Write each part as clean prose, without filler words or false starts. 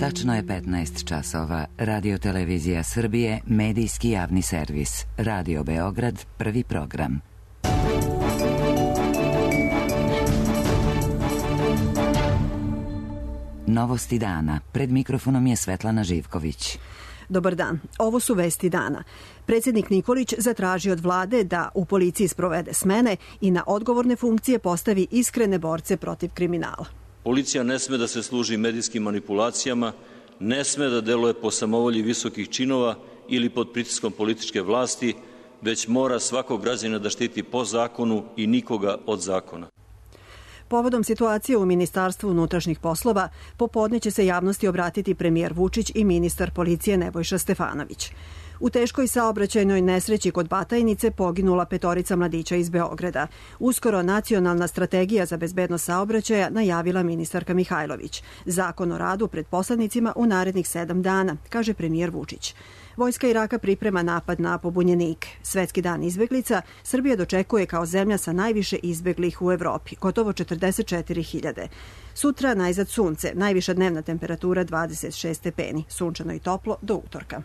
Tačno je 15 časova. Radio Televizija Srbije, medijski javni servis. Radio Beograd, prvi program. Novosti dana. Pred mikrofonom je Svetlana Živković. Dobar dan. Ovo su vesti dana. Predsjednik Nikolić zatraži od vlade da u policiji sprovede smene i na odgovorne funkcije postavi iskrene borce protiv kriminala. Policija ne sme da se služi medijskim manipulacijama, ne sme da deluje po samovolji visokih činova ili pod pritiskom političke vlasti, već mora svakog građanina da štiti po zakonu i nikoga od zakona. Povodom situacije u Ministarstvu unutrašnjih poslova, popodne će se javnosti obratiti premijer Vučić i ministar policije Nebojša Stefanović. U teškoj saobraćajnoj nesreći kod Batajnice poginula 5 mladića iz Beograda. Uskoro nacionalna strategija za bezbednost saobraćaja najavila ministarka Mihajlović. Zakon o radu pred poslanicima u narednih 7 dana, kaže premijer Vučić. Vojska Iraka priprema napad na pobunjenike. Svetski dan izbeglica Srbija dočekuje kao zemlja sa najviše izbeglih u Evropi, gotovo 44.000. Sutra najzad sunce, najviša dnevna temperatura 26 stepeni, sunčano i toplo do utorka.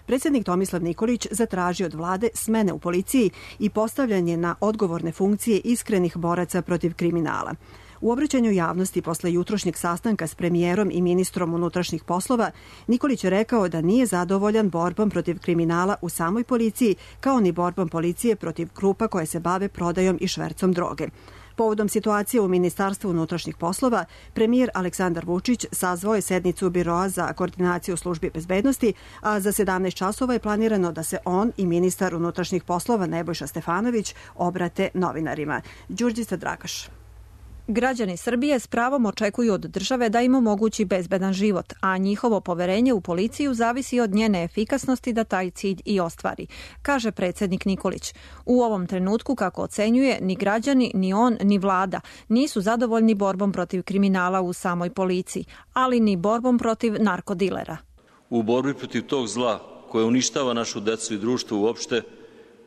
Predsjednik Tomislav Nikolić zatraži od vlade smene u policiji i postavljanje na odgovorne funkcije iskrenih boraca protiv kriminala. U obraćanju javnosti posle jutrošnjeg sastanka s premijerom i ministrom unutrašnjih poslova, Nikolić je rekao da nije zadovoljan borbom protiv kriminala u samoj policiji, kao ni borbom policije protiv grupa koje se bave prodajom i švercom droge. Povodom situacije u Ministarstvu unutrašnjih poslova, premijer Aleksandar Vučić sazvao je sednicu Biroa za koordinaciju službi bezbednosti, a za 17 časova je planirano da se on i ministar unutrašnjih poslova Nebojša Stefanović obrate novinarima. Đurđica Dragaš. Građani Srbije s pravom očekuju od države da im omogući bezbedan život, a njihovo poverenje u policiju zavisi od njene efikasnosti da taj cilj i ostvari, kaže predsjednik Nikolić. U ovom trenutku, kako ocenjuje, ni građani, ni on, ni vlada nisu zadovoljni borbom protiv kriminala u samoj policiji, ali ni borbom protiv narkodilera. U borbi protiv tog zla koje uništava našu decu i društvo uopšte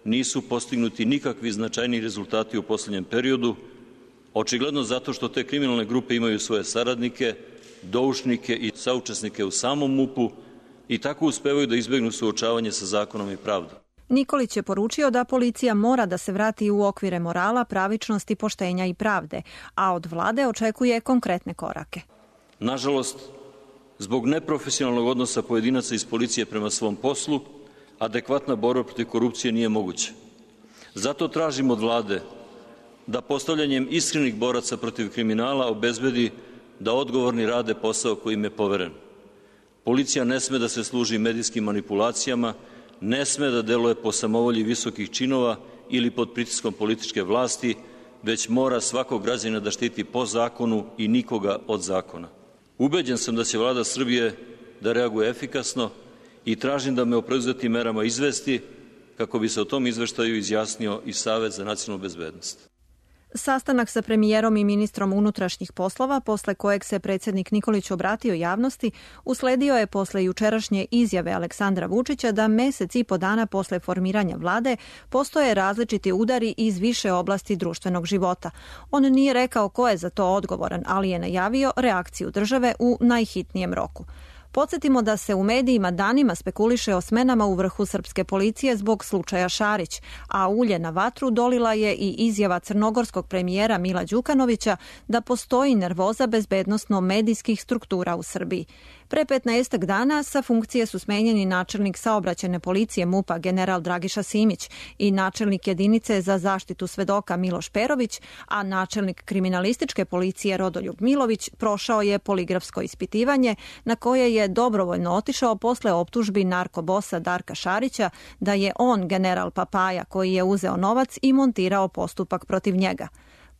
nisu postignuti nikakvi značajni rezultati u posljednjem periodu, očigledno zato što te kriminalne grupe imaju svoje saradnike, doušnike i saučesnike u samom MUP-u i tako uspevaju da izbegnu suočavanje sa zakonom i pravdom. Nikolić je poručio da policija mora da se vrati u okvire morala, pravičnosti, poštenja i pravde, a od vlade očekuje konkretne korake. Nažalost, zbog neprofesionalnog odnosa pojedinaca iz policije prema svom poslu, adekvatna borba protiv korupcije nije moguća. Zato tražimo od vlade da postavljanjem iskrenih boraca protiv kriminala obezbedi da odgovorni rade posao koji im je poveren. Policija ne sme da se služi medijskim manipulacijama, ne sme da deluje po samovolji visokih činova ili pod pritiskom političke vlasti, već mora svakog građanina da štiti po zakonu i nikoga od zakona. Ubeđen sam da će vlada Srbije da reaguje efikasno i tražim da me o preuzetim merama izvesti kako bi se o tom izveštaju izjasnio i Savet za nacionalnu bezbednost. Sastanak sa premijerom i ministrom unutrašnjih poslova, posle kojeg se predsjednik Nikolić obratio javnosti, usledio je posle jučerašnje izjave Aleksandra Vučića da mesec i po dana posle formiranja vlade postoje različiti udari iz više oblasti društvenog života. On nije rekao ko je za to odgovoran, ali je najavio reakciju države u najhitnijem roku. Podsjetimo da se u medijima danima spekuliše o smenama u vrhu srpske policije zbog slučaja Šarić, a ulje na vatru dolila je i izjava crnogorskog premijera Mila Đukanovića da postoji nervoza bezbednosno-medijskih struktura u Srbiji. Pre 15 dana sa funkcije su smenjeni načelnik saobraćajne policije MUP-a general Dragiša Simić i načelnik jedinice za zaštitu svedoka Miloš Perović, a načelnik kriminalističke policije Rodoljub Milović prošao je poligrafsko ispitivanje na koje je dobrovoljno otišao posle optužbi narkobosa Darka Šarića da je on general Papaja koji je uzeo novac i montirao postupak protiv njega.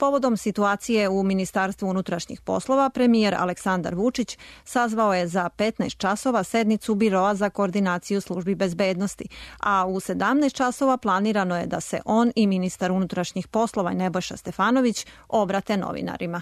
Povodom situacije u Ministarstvu unutrašnjih poslova, premijer Aleksandar Vučić sazvao je za 15 časova sednicu Biroa za koordinaciju službi bezbednosti, a u 17 časova planirano je da se on i ministar unutrašnjih poslova Nebojša Stefanović obrate novinarima.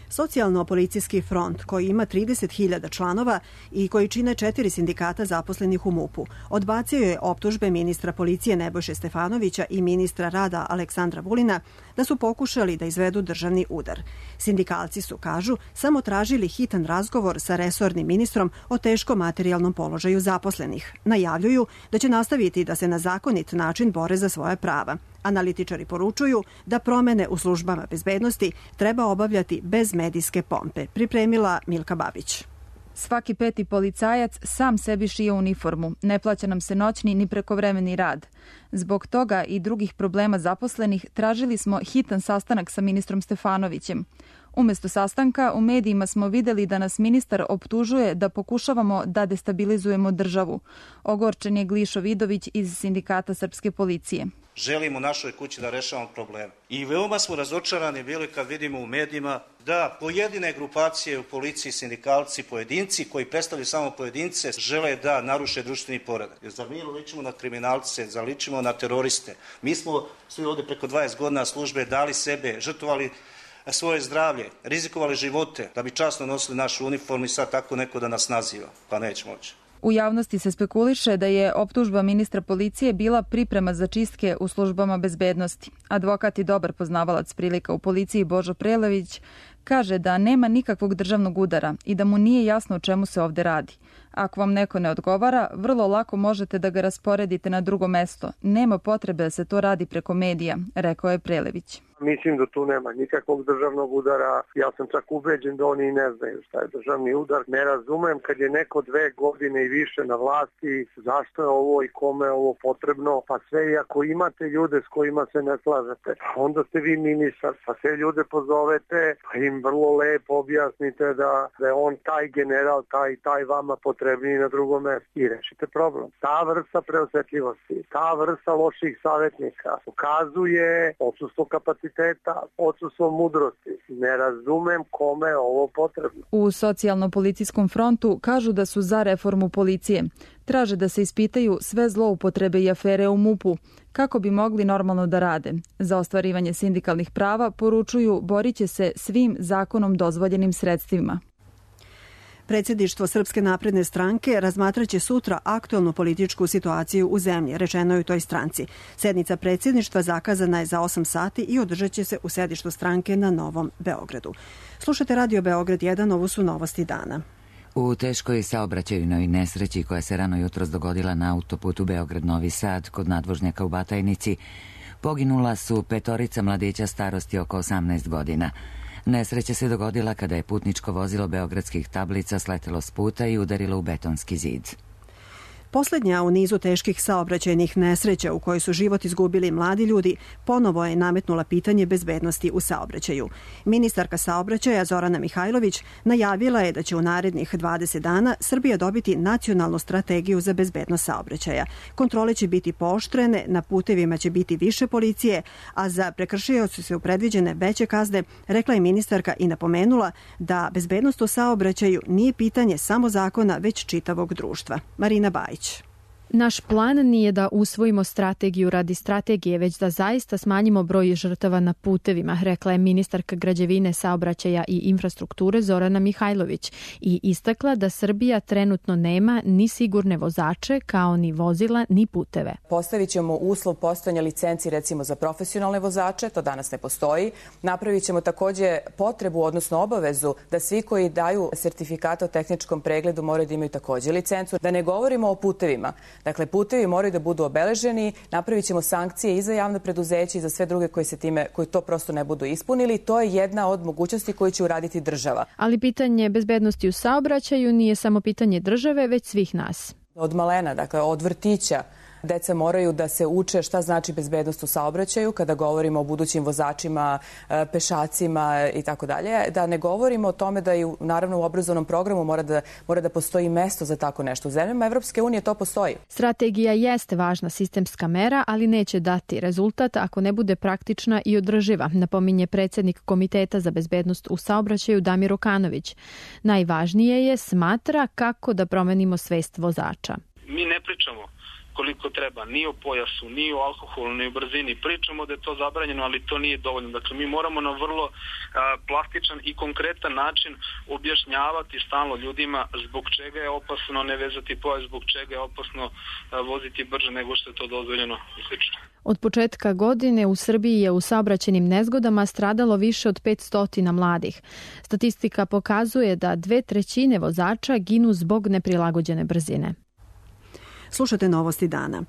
Socijalno-policijski front, koji ima 30.000 članova i koji čine 4 sindikata zaposlenih u MUP-u, odbacio je optužbe ministra policije Nebojše Stefanovića i ministra rada Aleksandra Vulina da su pokušali da izvedu državni udar. Sindikalci su, kažu, samo tražili hitan razgovor sa resornim ministrom o teškom materijalnom položaju zaposlenih. Najavljuju da će nastaviti da se na zakonit način bore za svoja prava. Analitičari poručuju da promene u službama bezbednosti treba obavljati bez medijske pompe, pripremila Milka Babić. Svaki 5. policajac sam sebi šije uniformu. Ne plaća nam se noćni ni prekovremeni rad. Zbog toga i drugih problema zaposlenih tražili smo hitan sastanak sa ministrom Stefanovićem. Umesto sastanka u medijima smo videli da nas ministar optužuje da pokušavamo da destabilizujemo državu. Ogorčen je Glišo Vidović iz Sindikata srpske policije. Želimo u našoj kući da rešavamo probleme. I veoma smo razočarani bili kad vidimo u medijima da pojedine grupacije u policiji, sindikalci, pojedinci koji predstavljaju samo pojedince žele da naruše društveni poredak. Jer zar mi ličimo na kriminalce, zar ličimo na teroriste? Mi smo svi ovde preko 20 godina službe dali sebe, žrtvovali svoje zdravlje, rizikovali živote da bi časno nosili našu uniformu i sad tako neko da nas naziva. Pa neće moći. U javnosti se spekuliše da je optužba ministra policije bila priprema za čistke u službama bezbednosti. Advokat i dobar poznavalac prilika u policiji Božo Prelević kaže da nema nikakvog državnog udara i da mu nije jasno o čemu se ovde radi. Ako vam neko ne odgovara, vrlo lako možete da ga rasporedite na drugo mesto. Nema potrebe da se to radi preko medija, rekao je Prelević. Mislim da tu nema nikakvog državnog udara. Ja sam čak ubeđen da oni ne znaju šta je državni udar. Ne razumem kad je neko 2 godine i više na vlasti, zašto je ovo i kome je ovo potrebno. Pa sve i ako imate ljude s kojima se ne slažete, onda ste vi ministar, pa sve ljude pozovete, pa im vrlo lepo objasnite da je on taj general, taj vama potrebniji na drugom mjestu i rešite problem. Ta vrsta preosetljivosti, ta vrsta loših savjetnika ukazuje odsustvo kapaciteta, odsustvo mudrosti. Ne razumem kome je ovo potrebno. U socijalno-policijskom frontu kažu da su za reformu policije. Traže da se ispitaju sve zloupotrebe i afere u MUP-u, kako bi mogli normalno da rade. Za ostvarivanje sindikalnih prava, poručuju, borit će se svim zakonom dozvoljenim sredstvima. Predsjedništvo Srpske napredne stranke razmatraće sutra aktualnu političku situaciju u zemlji, rečeno je u toj stranci. Sednica predsjedništva zakazana je za 8 sati i održat će se u sedištu stranke na Novom Beogradu. Slušate Radio Beograd 1, ovo su novosti dana. U teškoj saobraćajnoj nesreći koja se rano jutros dogodila na autoputu Beograd-Novi Sad kod nadvožnjaka u Batajnici, poginula su 5 mladića starosti oko 18 godina. Nesreća se dogodila kada je putničko vozilo beogradskih tablica sletelo s puta i udarilo u betonski zid. Poslednja u nizu teških saobraćajnih nesreća u kojoj su život izgubili mladi ljudi ponovo je nametnula pitanje bezbednosti u saobraćaju. Ministarka saobraćaja Zorana Mihajlović najavila je da će u narednih 20 dana Srbija dobiti nacionalnu strategiju za bezbednost saobraćaja. Kontrole će biti pooštrene, na putevima će biti više policije, a za prekršioce su predviđene veće kazne, rekla je ministarka i napomenula da bezbednost u saobraćaju nije pitanje samo zakona, već čitavog društva. Marina Bajić. Naš plan nije da usvojimo strategiju radi strategije, već da zaista smanjimo broj žrtava na putevima, rekla je ministarka građevine, saobraćaja i infrastrukture Zorana Mihajlović i istakla da Srbija trenutno nema ni sigurne vozače, kao ni vozila, ni puteve. Postavit ćemo uslov postojanja licenci recimo za profesionalne vozače, to danas ne postoji. Napravit ćemo također potrebu, odnosno obavezu, da svi koji daju sertifikate o tehničkom pregledu moraju da imaju također licencu. Da ne govorimo o putevima. Dakle, putevi moraju da budu obeleženi, napravit ćemo sankcije i za javno preduzeće i za sve druge koji to prosto ne budu ispunili. To je jedna od mogućnosti koju će uraditi država. Ali pitanje bezbednosti u saobraćaju nije samo pitanje države, već svih nas. Od malena, dakle, od vrtića, deca moraju da se uče šta znači bezbednost u saobraćaju kada govorimo o budućim vozačima, pešacima i tako dalje. Da ne govorimo o tome da i naravno u obrazovnom programu mora da postoji mesto za tako nešto. U zemljama Evropske unije to postoji. Strategija jeste važna sistemska mera, ali neće dati rezultat ako ne bude praktična i održiva, napominje predsjednik Komiteta za bezbednost u saobraćaju Damir Okanović. Najvažnije je smatra kako da promenimo svest vozača. Mi ne pričamo koliko treba, ni o pojasu, ni o alkoholu, ni o brzini. Pričamo da je to zabranjeno, ali to nije dovoljno. Dakle, mi moramo na vrlo plastičan i konkretan način objašnjavati stalno ljudima zbog čega je opasno ne vezati pojas, zbog čega je opasno voziti brže nego što je to dozvoljeno i slično. Od početka godine u Srbiji je u saobraćajnim nezgodama stradalo više od 500 mladih. Statistika pokazuje da 2/3 vozača ginu zbog neprilagođene brzine. Slušate Novosti dana.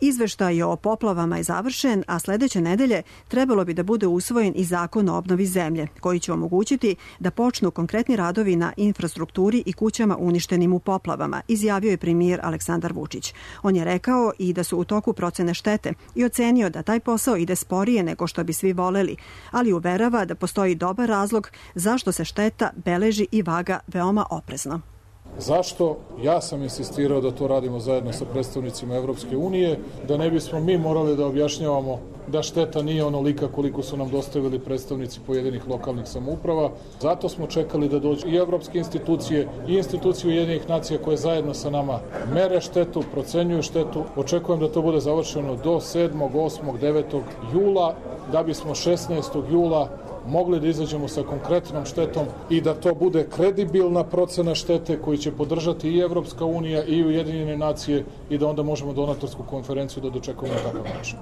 Izveštaj o poplavama je završen, a sledeće nedelje trebalo bi da bude usvojen i zakon o obnovi zemlje, koji će omogućiti da počnu konkretni radovi na infrastrukturi i kućama uništenim u poplavama, izjavio je premijer Aleksandar Vučić. On je rekao i da su u toku procene štete i ocenio da taj posao ide sporije nego što bi svi voleli, ali uverava da postoji dobar razlog zašto se šteta beleži i vaga veoma oprezno. Zašto? Ja sam insistirao da to radimo zajedno sa predstavnicima Evropske unije, da ne bismo mi morali da objašnjavamo da šteta nije onolika koliko su nam dostavili predstavnici pojedinih lokalnih samouprava. Zato smo čekali da dođu i evropske institucije i institucije Ujedinjenih nacija koje zajedno sa nama mere štetu, procenjuju štetu. Očekujem da to bude završeno do 7., 8., 9. jula, da bismo 16. jula mogli da izađemo sa konkretnom štetom i da to bude kredibilna procena štete koju će podržati i Evropska unija i Ujedinjene nacije i da onda možemo donatorsku konferenciju da dočekamo na takav način.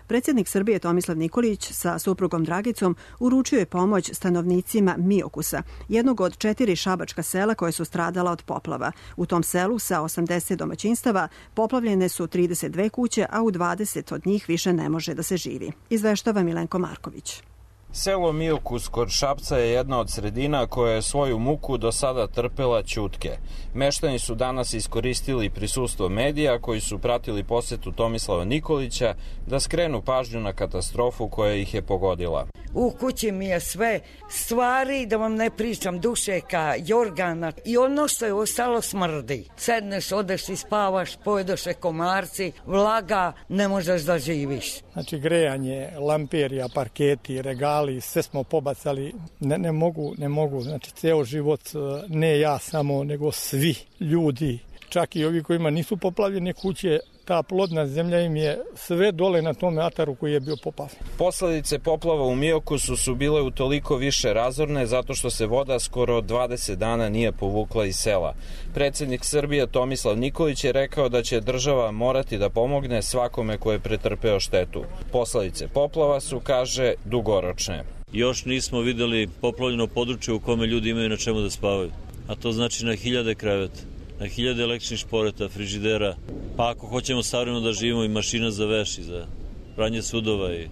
Predsjednik Srbije Tomislav Nikolić sa suprugom Dragicom uručio je pomoć stanovnicima Miokusa, jednog od 4 šabačka sela koje su stradala od poplava. U tom selu sa 80 domaćinstava poplavljene su 32 kuće, a u 20 od njih više ne može da se živi. Izveštava Milenko Marković. Selo Miokus kod Šapca je jedna od sredina koja je svoju muku do sada trpela ćutke. Meštani su danas iskoristili prisustvo medija koji su pratili posetu Tomislava Nikolića da skrenu pažnju na katastrofu koja ih je pogodila. U kući mi je sve stvari, da vam ne pričam, dušeka, jorgana i ono što je ostalo smrdi. Sedneš, odeš i spavaš, pojedoše komarci, vlaga, ne možeš da živiš. Znači grejanje, lamperija, parketi, regali, sve smo pobacali, ne mogu, znači ceo život, ne ja samo, nego svi ljudi, čak i ovi kojima nisu poplavljene kuće, ta plodna zemlja im je sve dole na tom ataru koji je bio poplavljen. Posledice poplava u Miokusu su bile utoliko više razorne zato što se voda skoro 20 dana nije povukla iz sela. Predsjednik Srbije Tomislav Nikolić je rekao da će država morati da pomogne svakome ko je pretrpeo štetu. Posledice poplava su, kaže, dugoročne. Još nismo videli poplavljeno područje u kome ljudi imaju na čemu da spavaju, a to znači na 1000 kreveta, na 1000 električnih šporeta, frižidera, pa ako hoćemo savremeno da živimo i mašina za veš i za pranje sudova. I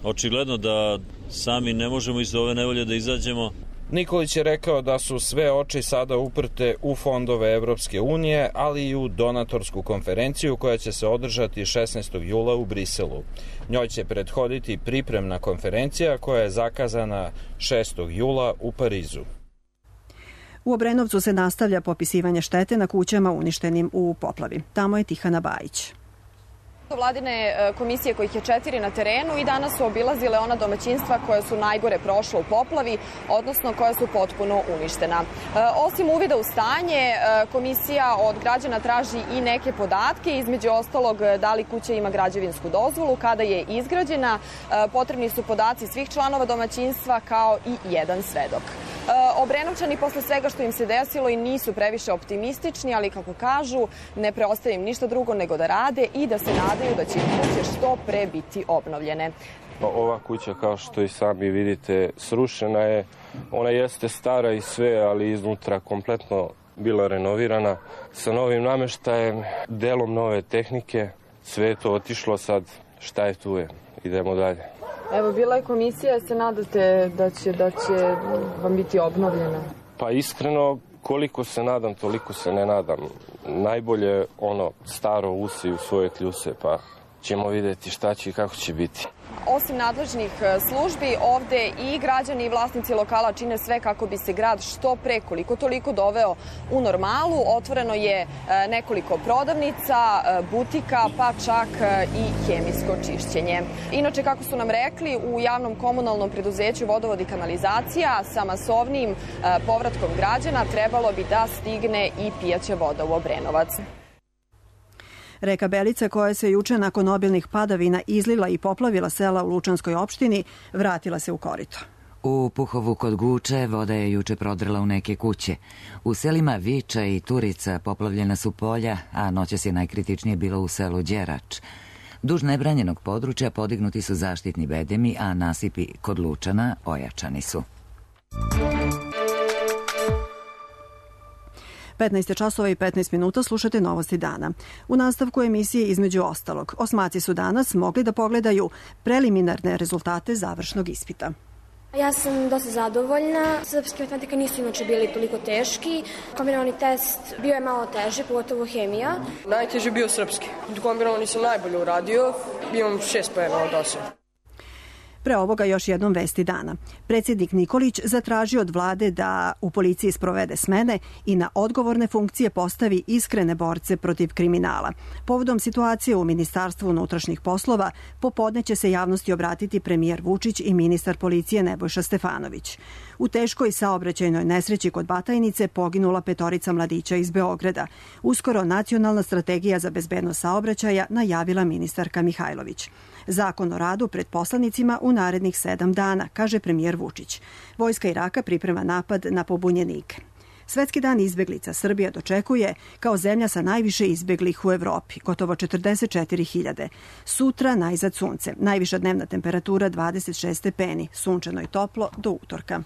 očigledno da sami ne možemo iz ove nevolje da izađemo. Nikolić je rekao da su sve oči sada uprte u fondove Evropske unije, ali i u donatorsku konferenciju koja će se održati 16. jula u Briselu. Njoj će prethoditi pripremna konferencija koja je zakazana 6. jula u Parizu. U Obrenovcu se nastavlja popisivanje štete na kućama uništenim u poplavi. Tamo je Tihana Bajić. Vladine komisije, kojih je 4 na terenu, i danas su obilazile ona domaćinstva koja su najgore prošla u poplavi, odnosno koja su potpuno uništena. Osim uvida u stanje, komisija od građana traži i neke podatke, između ostalog da li kuća ima građevinsku dozvolu, kada je izgrađena, potrebni su podaci svih članova domaćinstva kao i jedan svedok. Obrenovčani posle svega što im se desilo i nisu previše optimistični, ali kako kažu, ne preostaje im ništa drugo nego da rade i da se nadaju da će kuće što pre biti obnovljene. Ova kuća, kao što i sami vidite, srušena je. Ona jeste stara i sve, ali iznutra kompletno bila renovirana sa novim nameštajem, delom nove tehnike. Sve je to otišlo, sad šta je tu je. Idemo dalje. Evo, bila je komisija, se nadate da će vam biti obnovljena? Pa iskreno, koliko se nadam, toliko se ne nadam. Najbolje ono staro usi u svoje kljuse, pa ćemo vidjeti šta će i kako će biti. Osim nadležnih službi, ovde i građani i vlasnici lokala čine sve kako bi se grad što pre, koliko toliko, doveo u normalu. Otvoreno je nekoliko prodavnica, butika, pa čak i hemijsko čišćenje. Inače, kako su nam rekli, u javnom komunalnom preduzeću Vodovod i kanalizacija sa masovnim povratkom građana trebalo bi da stigne i pijaća voda u Obrenovac. Reka Belica, koja se juče nakon obilnih padavina izlila i poplavila sela u Lučanskoj opštini, vratila se u korito. U Puhovu kod Guče voda je juče prodrla u neke kuće. U selima Viča i Turica poplavljena su polja, a noćas je najkritičnije bilo u selu Đerač. Duž nebranjenog područja podignuti su zaštitni bedemi, a nasipi kod Lučana ojačani su. 15 časova i 15 minuta slušate Novosti dana. U nastavku emisije između ostalog, osmaci su danas mogli da pogledaju preliminarne rezultate završnog ispita. Ja sam dosta zadovoljna. Srpski matematika nisu inače bili toliko teški. Kombinovani test bio je malo teži, pogotovo hemija. Najteži bio srpski. Kombinovani sam najbolje uradio. Imam 6 poena od 8. Pre ovoga još jednom vesti dana. Predsjednik Nikolić zatražio od vlade da u policiji sprovede smene i na odgovorne funkcije postavi iskrene borce protiv kriminala. Povodom situacije u Ministarstvu unutrašnjih poslova, popodne će se javnosti obratiti premijer Vučić i ministar policije Nebojša Stefanović. U teškoj saobraćajnoj nesreći kod Batajnice poginula 5 mladića iz Beograda. Uskoro Nacionalna strategija za bezbednost saobraćaja najavila ministarka Mihajlović. Zakon o radu pred poslanicima u narednih 7 dana, kaže premijer Vučić. Vojska Iraka priprema napad na pobunjenike. Svetski dan izbeglica Srbija dočekuje kao zemlja sa najviše izbeglih u Evropi, gotovo 44.000. Sutra najzad sunce, najviša dnevna temperatura 26 stepeni, sunčano i toplo do utorka.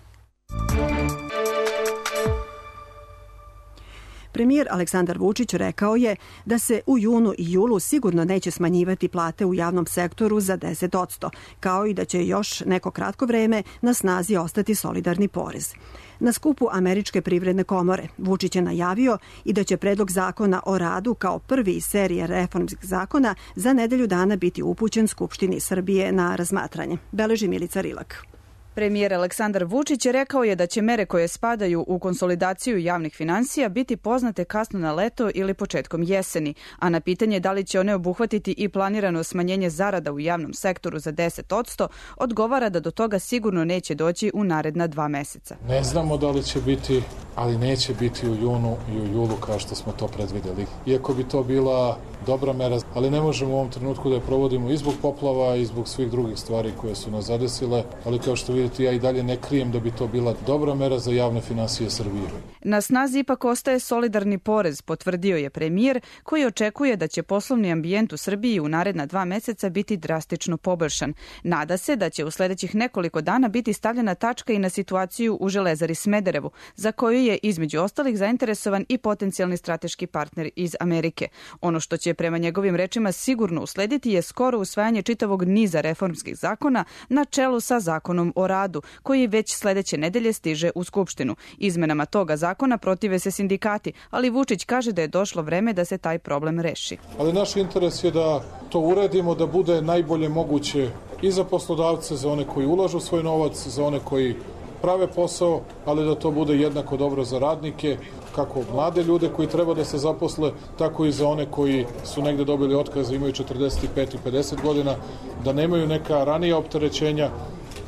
Premijer Aleksandar Vučić rekao je da se u junu i julu sigurno neće smanjivati plate u javnom sektoru za 10%, kao i da će još neko kratko vreme na snazi ostati solidarni porez. Na skupu Američke privredne komore Vučić je najavio i da će predlog zakona o radu kao prvi iz serije reformskih zakona za nedelju dana biti upućen Skupštini Srbije na razmatranje. Beleži Milica Rilak. Premijer Aleksandar Vučić rekao je da će mere koje spadaju u konsolidaciju javnih finansija biti poznate kasno na leto ili početkom jeseni, a na pitanje da li će one obuhvatiti i planirano smanjenje zarada u javnom sektoru za 10%, odgovara da do toga sigurno neće doći u naredna 2 meseca. Ne znamo da li će biti, ali neće biti u junu i u julu kao što smo to predvideli. Iako bi to bila dobra mera, ali ne možemo u ovom trenutku da je provodimo i zbog poplava i zbog svih drugih stvari koje su nas zadesile, ali kao što vidite ja i dalje ne krijem da bi to bila dobra mera za javne finansije Srbije. Na snazi ipak ostaje solidarni porez, potvrdio je premijer, koji očekuje da će poslovni ambijent u Srbiji u naredna 2 meseca biti drastično poboljšan. Nada se da će u sledećih nekoliko dana biti stavljena tačka i na situaciju u Železari Smederevu, za koju je između ostalih zainteresovan i potencijalni strateški partner iz Amerike. Ono što će prema njegovim rečima sigurno uslediti je skoro usvajanje čitavog niza reformskih zakona na čelu sa zakonom o radu, koji već sledeće nedelje stiže u Skupštinu. Izmenama toga zakona protive se sindikati, ali Vučić kaže da je došlo vreme da se taj problem reši. Ali naš interes je da to uredimo, da bude najbolje moguće i za poslodavce, za one koji ulažu svoj novac, za one koji prave posao, ali da to bude jednako dobro za radnike, kako mlade ljude koji treba da se zaposle, tako i za one koji su negde dobili otkaz, imaju 45 i 50 godina, da nemaju neka ranija opterećenja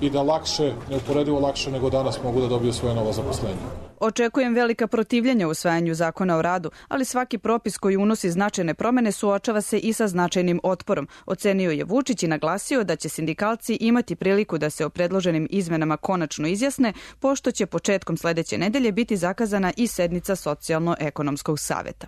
i da lakše, neuporedivo lakše nego danas mogu da dobiju svoje novo zaposlenje. Očekujem velika protivljenja u usvajanju zakona o radu, ali svaki propis koji unosi značajne promene suočava se i sa značajnim otporom, ocenio je Vučić i naglasio da će sindikalci imati priliku da se o predloženim izmenama konačno izjasne, pošto će početkom sledeće nedelje biti zakazana i sednica Socijalno-ekonomskog saveta.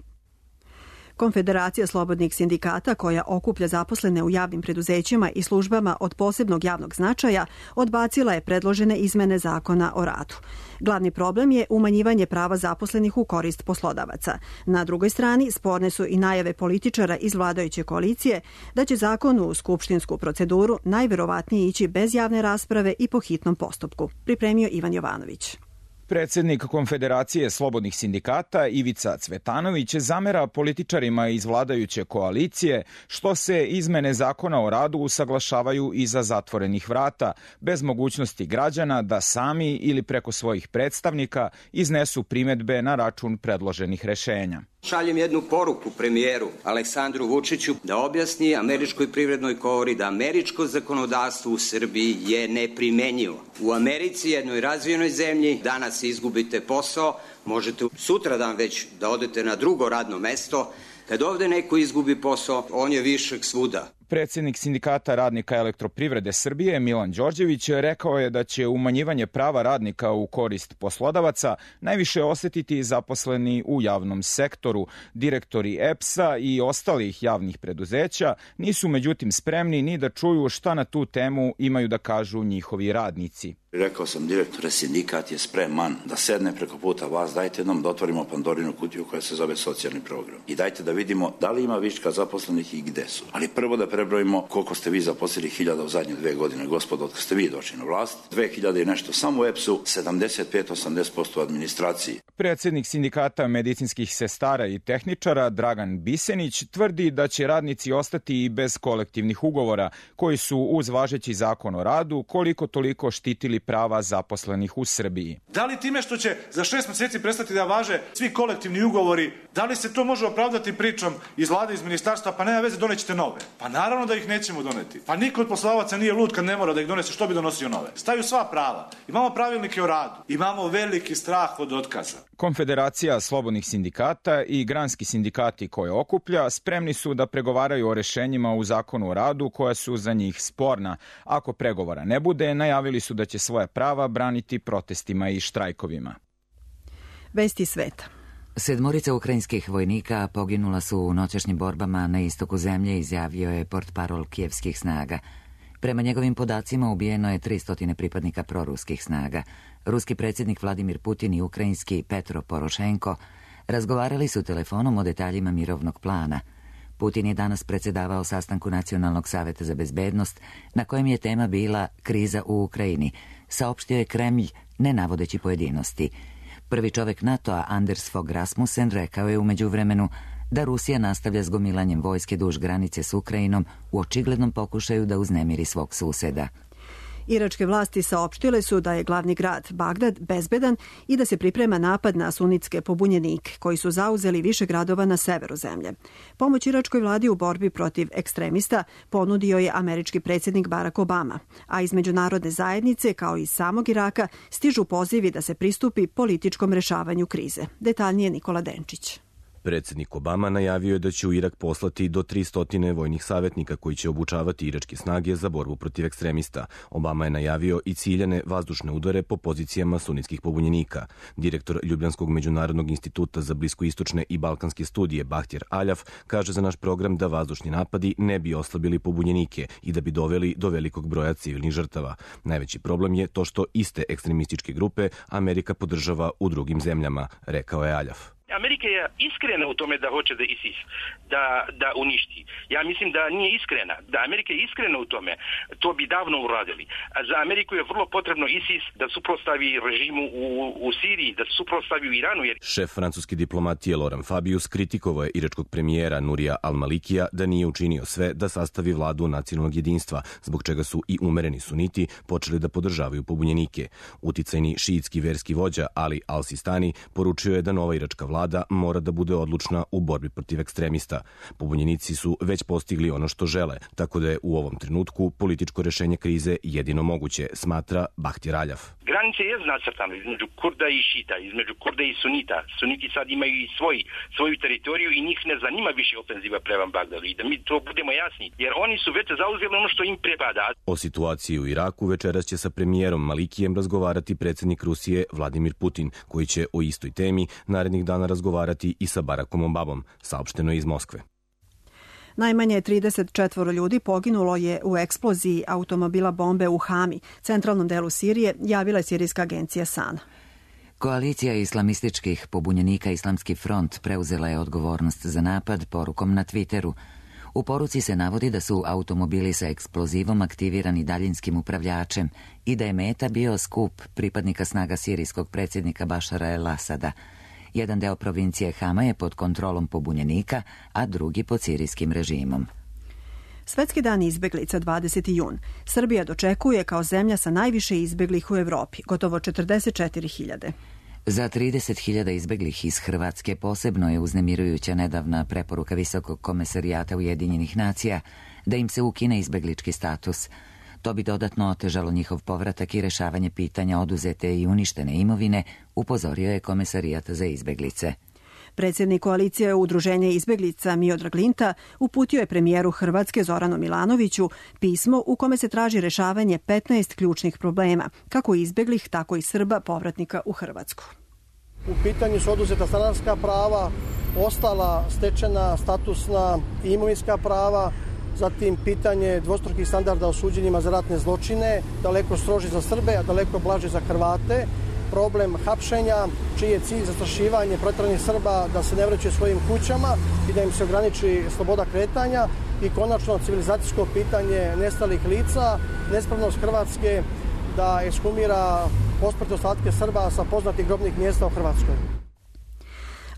Konfederacija slobodnih sindikata, koja okuplja zaposlene u javnim preduzećima i službama od posebnog javnog značaja, odbacila je predložene izmene zakona o radu. Glavni problem je umanjivanje prava zaposlenih u korist poslodavaca. Na drugoj strani sporne su i najave političara iz vladajuće koalicije da će zakon u skupštinsku proceduru najverovatnije ići bez javne rasprave i po hitnom postupku, pripremio Ivan Jovanović. Predsednik Konfederacije slobodnih sindikata Ivica Cvetanović zamera političarima iz vladajuće koalicije što se izmene zakona o radu usaglašavaju iza zatvorenih vrata, bez mogućnosti građana da sami ili preko svojih predstavnika iznesu primedbe na račun predloženih rešenja. Šaljem jednu poruku premijeru Aleksandru Vučiću da objasni Američkoj privrednoj komori da američko zakonodavstvo u Srbiji je neprimenjivo. U Americi, jednoj razvijenoj zemlji, danas izgubite posao, možete sutradan već da odete na drugo radno mesto, Kad ovde neko izgubi posao, on je višak svuda. Predsednik Sindikata radnika Elektroprivrede Srbije Milan Đorđević rekao je da će umanjivanje prava radnika u korist poslodavaca najviše osetiti zaposleni u javnom sektoru. Direktori EPS-a i ostalih javnih preduzeća nisu međutim spremni ni da čuju šta na tu temu imaju da kažu njihovi radnici. Rekao sam direktore, sindikat je spreman da sedne preko puta vas, dajte nam da otvorimo Pandorinu kutiju koja se zove socijalni program. I dajte da vidimo da li ima viška zaposlenih i gde su. Ali prvo da prebrojimo koliko ste vi zaposlili hiljada u zadnje 2 godine, gospodo, od kad ste vi došli na vlast. 2000 i nešto samo u EPS-u, 75-80% u administraciji. Predsednik Sindikata medicinskih sestara i tehničara Dragan Bisenić tvrdi da će radnici ostati i bez kolektivnih ugovora koji su uz važeći zakon o radu koliko toliko štitili prava zaposlenih u Srbiji. Da li time što će za 6 meseci prestati da važe svi kolektivni ugovori, da li se to može opravdati pričom iz vlade, iz ministarstva, pa nema veze, donećete nove? Pa naravno da ih nećemo doneti. Pa niko od poslodavaca nije lud kad ne mora da ih donese, što bi donosio nove? Staju sva prava. Imamo pravilnike o radu. Imamo veliki strah od otkaza. Konfederacija slobodnih sindikata i granski sindikati koje okuplja spremni su da pregovaraju o rešenjima u zakonu o radu koja su za njih sporna. Ako pregovora ne bude, najavili su da će svoja prava braniti protestima i štrajkovima. Vesti sveta. 7 ukrajinskih vojnika poginula su u noćašnjim borbama na istoku zemlje, izjavio je portparol kijevskih snaga. Prema njegovim podacima ubijeno je 300 pripadnika proruskih snaga. Ruski predsjednik Vladimir Putin i ukrajinski Petro Porošenko razgovarali su telefonom o detaljima mirovnog plana. Putin je danas predsjedavao sastanku Nacionalnog saveta za bezbednost, na kojem je tema bila kriza u Ukrajini, saopštio je Kremlj, ne navodeći pojedinosti. Prvi čovek NATO-a, Anders Fogh Rasmussen, rekao je u međuvremenu da Rusija nastavlja s gomilanjem vojske duž granice s Ukrajinom u očiglednom pokušaju da uznemiri svog suseda. Iračke vlasti saopštile su da je glavni grad Bagdad bezbedan i da se priprema napad na sunitske pobunjenike koji su zauzeli više gradova na severu zemlje. Pomoć iračkoj vladi u borbi protiv ekstremista ponudio je američki predsjednik Barack Obama, a iz međunarodne zajednice kao i samog Iraka stižu pozivi da se pristupi političkom rešavanju krize. Detaljnije Nikola Denčić. Predsjednik Obama najavio je da će u Irak poslati do 300 vojnih savjetnika koji će obučavati iračke snage za borbu protiv ekstremista. Obama je najavio i ciljane vazdušne udare po pozicijama sunitskih pobunjenika. Direktor Ljubljanskog međunarodnog instituta za bliskoistočne i balkanske studije Bahtjar Aljaf kaže za naš program da vazdušni napadi ne bi oslabili pobunjenike i da bi doveli do velikog broja civilnih žrtava. Najveći problem je to što iste ekstremističke grupe Amerika podržava u drugim zemljama, rekao je Aljaf. Amerika je iskrena u tome da hoće da ISIS da uništi. Ja mislim da nije iskrena. Da Amerika je iskrena u tome, to bi davno uradili. A za Ameriku je vrlo potrebno ISIS da suprotstavi režimu u Siriji, da suprotstavi u Iranu. Šef francuske diplomatije Laurent Fabius kritikovao je iračkog premijera Nurija Al-Malikija da nije učinio sve da sastavi vladu nacionalnog jedinstva, zbog čega su i umereni suniti počeli da podržavaju pobunjenike. Uticajni šiitski verski vođa Ali Al-Sistani poručio je da nova iračka vlada mora da bude odlučna u borbi protiv ekstremista. Pobunjenici su već postigli ono što žele, tako da je u ovom trenutku političko rešenje krize jedino moguće, smatra Bahtjar Aljaf. Granice je nacrtana između Kurda i Šita, između Kurda i Sunita. Suniti sad imaju i svoju teritoriju i njih ne zanima više ofenziva prema Bagdadu. I da mi to budemo jasni, jer oni su već zauzeli ono što im pripada. O situaciji u Iraku večeras će sa premijerom Malikijem razgovarati predsjednik Rusije Vladimir Putin, koji će o istoj temi narednih dana razgovarati i sa Barackom Obamom, saopšteno je iz Moskve. Najmanje 34 ljudi poginulo je u eksploziji automobila bombe u Hami, centralnom delu Sirije, javila je sirijska agencija SANA. Koalicija islamističkih pobunjenika Islamski front preuzela je odgovornost za napad porukom na Twitteru. U poruci se navodi da su automobili sa eksplozivom aktivirani daljinskim upravljačem i da je meta bio skup pripadnika snaga sirijskog predsjednika Bašara el-Asada. Jedan deo provincije Hama je pod kontrolom pobunjenika, a drugi pod sirijskim režimom. Svetski dan izbeglica 20. jun. Srbija dočekuje kao zemlja sa najviše izbeglih u Evropi, gotovo 44.000. Za 30.000 izbeglih iz Hrvatske posebno je uznemirujuća nedavna preporuka Visokog komesarijata Ujedinjenih nacija da im se ukine izbeglički status. To bi dodatno otežalo njihov povratak i rešavanje pitanja oduzete i uništene imovine, upozorio je Komesarijat za izbeglice. Predsjednik koalicije Udruženja izbeglica Miodrag Linta uputio je premijeru Hrvatske Zoranu Milanoviću pismo u kome se traži rešavanje 15 ključnih problema, kako izbeglih, tako i Srba povratnika u Hrvatsku. U pitanju su oduzeta stanarska prava, ostala stečena statusna i imovinska prava, zatim pitanje dvostrukih standarda o suđenjima za ratne zločine, daleko stroži za Srbe, a daleko blaže za Hrvate, problem hapšenja, čiji je cilj zastrašivanje proteranih Srba da se ne vraćaju svojim kućama i da im se ograniči sloboda kretanja i konačno civilizacijsko pitanje nestalih lica, nespravnost Hrvatske da ekshumira posmrtne ostatke Srba sa poznatih grobnih mjesta u Hrvatskoj.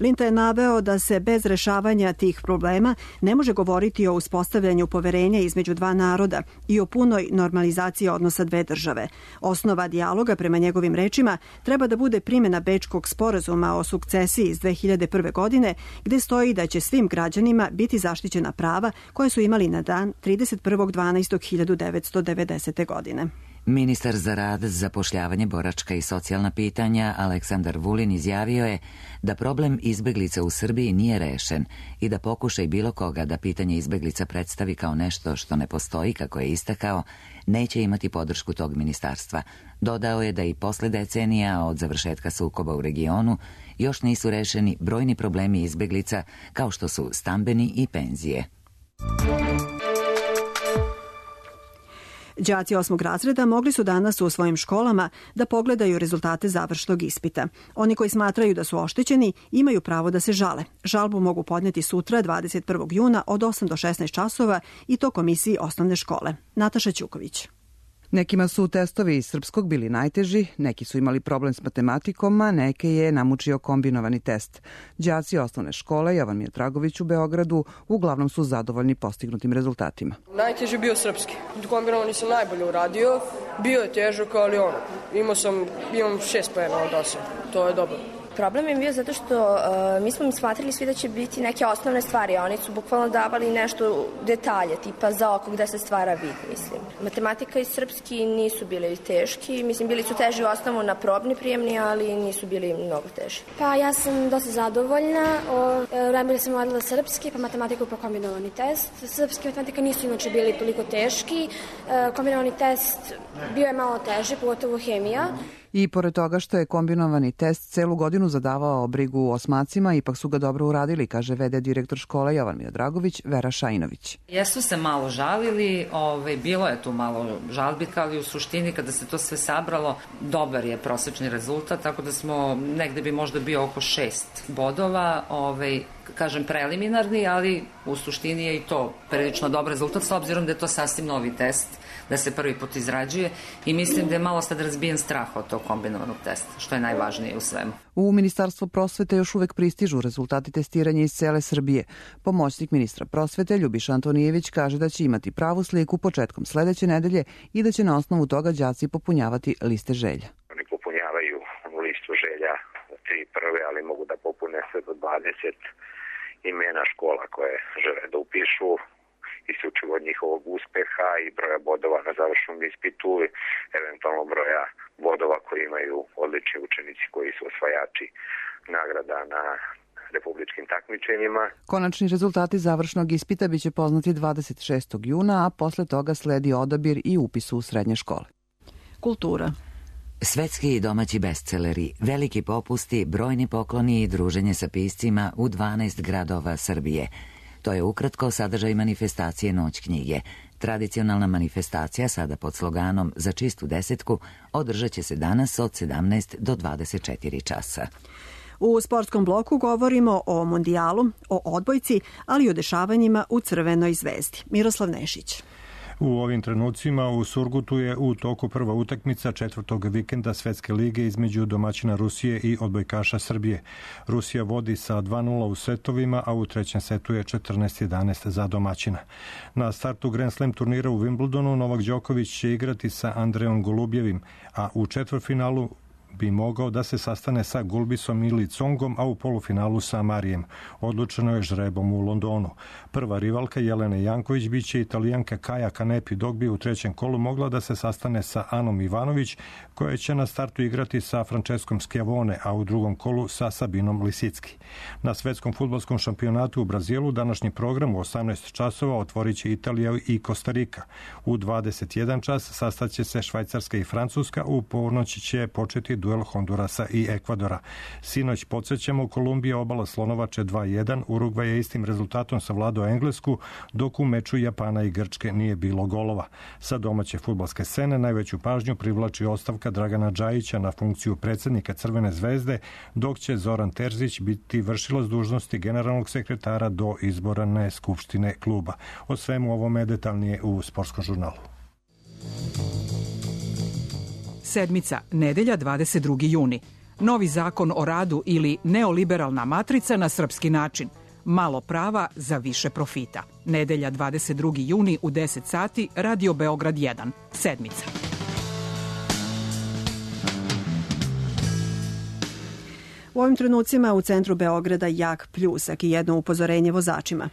Linta je naveo da se bez rešavanja tih problema ne može govoriti o uspostavljanju poverenja između dva naroda i o punoj normalizaciji odnosa dve države. Osnova dijaloga, prema njegovim rečima, treba da bude primjena Bečkog sporazuma o sukcesiji iz 2001. godine, gde stoji da će svim građanima biti zaštićena prava koje su imali na dan 31.12.1990. godine. Ministar za rad, zapošljavanje, boračka i socijalna pitanja Aleksandar Vulin izjavio je da problem izbeglica u Srbiji nije rešen i da pokušaj bilo koga da pitanje izbeglica predstavi kao nešto što ne postoji, kako je istakao, neće imati podršku tog ministarstva. Dodao je da i posle decenija od završetka sukoba u regionu još nisu rešeni brojni problemi izbeglica kao što su stambeni i penzije. Đaci 8. razreda mogli su danas u svojim školama da pogledaju rezultate završnog ispita. Oni koji smatraju da su oštećeni imaju pravo da se žale. Žalbu mogu podneti sutra 21. juna od 8 do 16 časova i to komisiji osnovne škole. Nataša Ćuković. Nekima su testovi iz srpskog bili najteži, neki su imali problem s matematikom, a neke je namučio kombinovani test. Đaci osnovne škole Jovan Miodragović u Beogradu uglavnom su zadovoljni postignutim rezultatima. Najteži je bio srpski. Kombinovani sam najbolje uradio, bio je težak, ali imam 6 poena od 8. To je dobro. Problem je bio zato što mi smo smatrali svi da će biti neke osnovne stvari, a oni su bukvalno davali nešto detalje, tipa za oko gde se stvara vid, mislim. Matematika i srpski nisu bili teški, mislim, bili su teži u osnovu na probni prijemni, ali nisu bili mnogo teži. Pa ja sam dosta zadovoljna, najbolje sam uradila srpski, pa matematiku pa kombinovani test. Srpski i matematika nisu inače bili toliko teški, kombinovani test bio je malo teži, pogotovo hemija. I pored toga što je kombinovani test celu godinu zadavao brigu osmacima, ipak su ga dobro uradili, kaže v.d. direktor škole Jovan Miodragović, Vera Šajinović. Jesu se malo žalili, bilo je tu malo žalbi, ali u suštini kada se to sve sabralo, dobar je prosečni rezultat, tako da smo negde bi možda bio oko 6 bodova, kažem preliminarni, ali u suštini je i to prilično dobar rezultat, s obzirom da je to sasvim novi test, da se prvi put izrađuje i mislim da je malo sad razbijen strah od tog kombinovanog testa, što je najvažnije u svemu. U Ministarstvo prosvete još uvek pristižu rezultati testiranja iz cele Srbije. Pomoćnik ministra prosvete Ljubiša Antonijević kaže da će imati pravu sliku početkom sledeće nedelje i da će na osnovu toga đaci popunjavati liste želja. Oni popunjavaju listu želja 3 prve, ali mogu da popune sve do 20 imena škola koje žele da upišu, isključivo od njihovog uspeha i broja bodova na završnom ispitu, eventualno broja bodova koji imaju odlični učenici koji su osvajači nagrada na republičkim takmičenjima. Konačni rezultati završnog ispita biće poznati 26. juna, a posle toga sledi odabir i upis u srednje škole. Kultura. Svetski i domaći bestseleri, veliki popusti, brojni pokloni i druženje sa piscima u 12 gradova Srbije. To je ukratko sadržaj manifestacije Noć knjige. Tradicionalna manifestacija, sada pod sloganom Za čistu desetku, održat će se danas od 17 do 24 časa. U sportskom bloku govorimo o mondijalu, o odbojci, ali i o dešavanjima u Crvenoj zvezdi. Miroslav Nešić. U ovim trenucima u Surgutu je u toku prva utakmica četvrtog vikenda Svetske lige između domaćina Rusije i odbojkaša Srbije. Rusija vodi sa 2:0 u setovima, a u trećem setu je 14:11 za domaćina. Na startu Grand Slam turnira u Wimbledonu Novak Đoković će igrati sa Andreom Golubjevim, a u četvrtfinalu bi mogao da se sastane sa Gulbisom ili Congom, a u polufinalu sa Marijem. Odlučeno je žrebom u Londonu. Prva rivalka Jelena Janković biće Italijanka Kaja Kanepi, dok bi u trećem kolu mogla da se sastane sa Anom Ivanović, koja će na startu igrati sa Franceskom Schiavone, a u drugom kolu sa Sabinom Lisicki. Na svetskom fudbalskom šampionatu u Brazilu današnji program u 18 časova otvorit će Italija i Kostarika. U 21 čas sastaće se Švajcarska i Francuska, u ponoći će početi duel Hondurasa i Ekvadora. Sinoć podsjećamo, Kolumbija obala Slonovače 2-1, Urugvaj je istim rezultatom savladao Englesku, dok u meču Japana i Grčke nije bilo golova. Sa domaće fudbalske scene najveću pažnju privlači ostavka Dragana Džajića na funkciju predsjednika Crvene zvezde, dok će Zoran Terzić biti vršilac dužnosti generalnog sekretara do izborane skupštine kluba. O svemu ovome detaljnije u Sportskom žurnalu. Sedmica, nedelja 22. juni. Novi zakon o radu ili neoliberalna matrica na srpski način. Malo prava za više profita. Nedelja 22. juni u 10 sati, Radio Beograd 1. Sedmica. U ovim trenucima u centru Beograda jak pljusak i jedno upozorenje vozačima.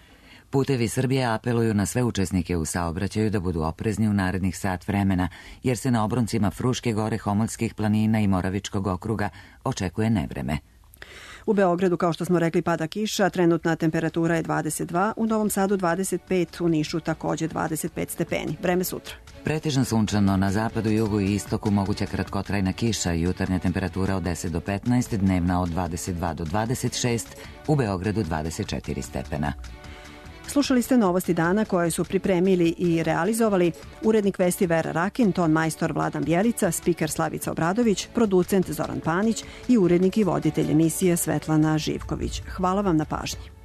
Putevi Srbije apeluju na sve učesnike u saobraćaju da budu oprezni u narednih sat vremena, jer se na obroncima Fruške gore, Homolskih planina i Moravičkog okruga očekuje nevreme. U Beogradu, kao što smo rekli, pada kiša, trenutna temperatura je 22, u Novom Sadu 25, u Nišu takođe 25 stepeni. Vreme sutra. Pretežno sunčano, na zapadu, jugu i istoku moguća kratkotrajna kiša, jutarnja temperatura od 10 do 15, dnevna od 22 do 26, u Beogradu 24 stepena. Slušali ste novosti dana koje su pripremili i realizovali urednik vesti Vera Rakin, ton majstor Vladan Bjelica, spiker Slavica Obradović, producent Zoran Panić i urednik i voditelj emisije Svetlana Živković. Hvala vam na pažnji.